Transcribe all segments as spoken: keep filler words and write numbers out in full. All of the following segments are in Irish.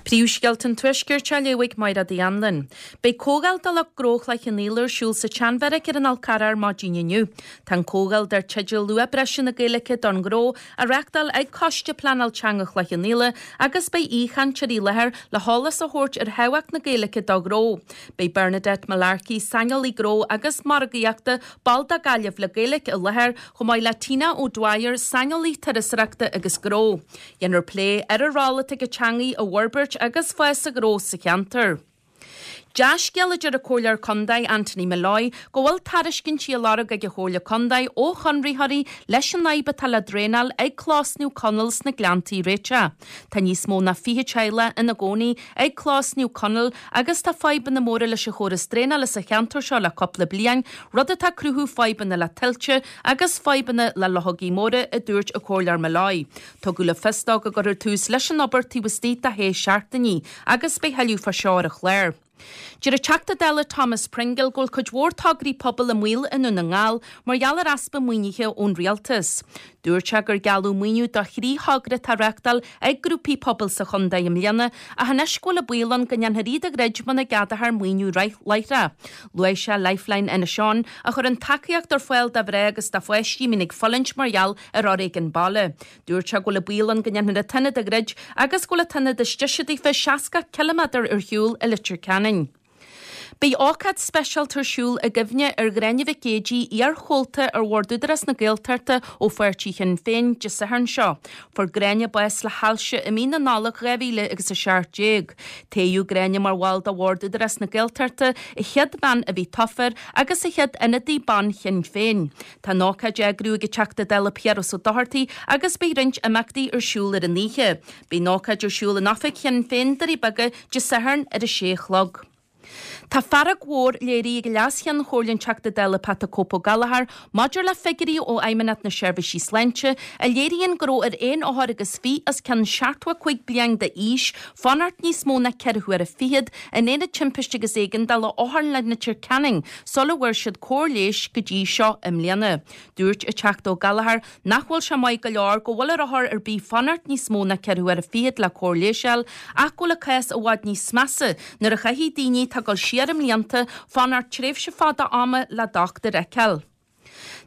Príomhscéalta an Tuaiscirt á léamh ag Máire Uí Anluain. Beidh comhdháil do lucht gnó Chloich Cheann Fhaola ar siúl sa tSeanbheairic ar an Fhál Carrach ar maidin inniu. Tá an comhdháil dar teideal Luach Breise na Gaeilge don Ghnó á reáchtáil ag Coiste Pleanáil Teanga Chloich Cheann Fhaola agus beidh aoichainteoirí i láthair le heolas a thabhairt ar thábhacht na Gaeilge do ghnó. Beidh Bernadette Mullarkey, saineolaí gnó agus margaíochta, ball de Gaillimh le Gaeilge i láthair, chomh maith le Tina O'Dwyer, saineolaí turasóireachta agus gnó. Déanfar plé ar an ról atá ag an teanga i bhforbairt agus fás sa ghnó sa cheantar. Dea-scéal a deir an Comhairleoir Contae Anthony Molloy go bhfuil tairiscintí á lorg ag an Chomhairle Contae ó chonraitheoirí leis an fhadhb atá le draenáil ag Clós Naomh Conaill sna Gleanntaí a réiteach. Tá níos mó ná fiche teaghlach ina gcónaí ag Clós Naomh Conaill agus tá fadhbanna móra leis an chóras draenála sa cheantar seo le cúpla bliain, rud atá ag cruthú fadhbanna le tuilte agus fadhbanna le luchógaí móra, a dúirt an Comhairleoir Molloy. Tugadh le fios dó go gcuirfear tús leis an obair taobh istigh de shé seachtainí agus beidh tuilleadh fá seo ar an chlár. Deir an Teachta Dála Thomas Pringle go bhfuil cuid mhór tograí pobail i mbaol i nDún na nGall mar gheall ar easpa maoinithe ón rialtas. Dúirt sé gur gealladh maoiniú do thrí thogra atá á reáchtáil ag grúpaí pobail sa chontae i mbliana ach anois go bhfuil an baol ann go ndéanfar iad a dhruid muna gceadófar maoiniú láithreach. Luaigh sé Lifeline Inis Eoghain a chuireann tacaíocht ar fáil do mhná agus do pháistí a mbíonn ag fulaingt mar gheall ar fhoréigean baile. Dúirt sé go bhfuil an baol ann go ndéanfar an t-ionad a dhruid agus go bhfuil an t-ionad is deise daofa seasca ciliméadar ar shiúl i Leitir Ceanainn. Beidh ócáid speisialta ar siúl i gcuimhne ar Ghráinne Mhic Géidigh, iarchomhalta ar Bhord Údarás na Gaeltachta ó pháirtí Shinn Féin, Dé Sathairn seo. Fuair Gráinne bás le hailse i mí na Nollag dhá mhíle agus a seacht déag. Toghadh Gráinne mar bhall de Bhord Údarás na Gaeltachta, an chéad bhean a bhí tofa air agus an chéad ionadaí ban Shinn Féin. Tá an ócáid á eagrú ag an Teachta Dála Piaras Ó Dochartaigh agus beidh roinnt imeachtaí ar siúl ar an oíche. Beidh an ócáid ar siúl in oifig Shinn Féin, Doirí Beaga, Dé Sathairn ar a sé a chlog. Tá fearg mhór léirithe ag Leas-Cheann Chomhairle an Teachta Dála Pat 'The Cope Ó Gallchóir maidir le figiúirí ó Fheidhmeannacht na Seirbhísí Sláinte a léiríonn go raibh ar aon othar agus fiche os cionn seachtó a cúig bliain d'aois fanacht níos mó ná ceithre huaire fichead in Aonad Timpiste agus Éigeandála Otharlann Leitir Ceanainn sula bhfuair siad cóir leighis go dtí seo i mbliana. Dúirt an Teachta Ó Gallchóir nach bhfuil sé maith go leor go bhfuil ar othar ar bith fanacht níos mó ná ceithre huaire fichead le cóir leighis a fháil ach go bhfuil an cás i bhfad níos measa nuair a chaithfidh daoine atá ag dul siar i mblianta fanacht tréimhse fada ama le dochtúir a fheiceáil.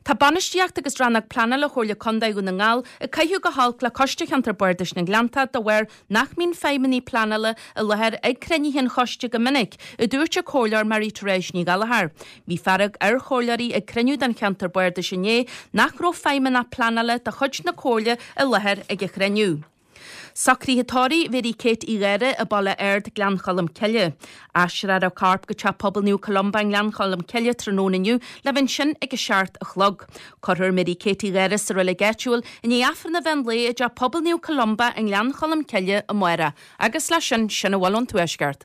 Tá bainistíocht agus rannóg pleanála Chomhairle Contae Dhún na nGall ag caitheamh go holc le Coiste Cheantar Bardais na nGleanntach de bharr nach mbíonn feidhmeannaigh pleanála i láthair ag cruinnithe an choiste go minic, a dúirt an Comhairleoir Mary Therese Ní Ghallchóir. Bhí fearg ar chomhairleoirí ag cruinniú den cheantar bardais inné nach raibh feidhmeannach pleanála de chuid na Comhairle i láthair ag an chruinniú. Socruithe tórraimh Mhary Kate Uí Gháire i Baile Ard, Gleann Cholm Cille. Aistreofar a corp go Teach Pobail Naomh Columba i nGleann Cholm Cille tráthnóna inniu le bheith ansin ag a seacht a chlog. Cuirfear Mary Kate Uí Gháire sa reilig áitiúil i ndiaidh Aifreann an mheán lae i dTeach Pobail Naomh Columba i nGleann Cholm Cille amárach. Agus leis sin, sin a bhfuil ón Tuaisceart.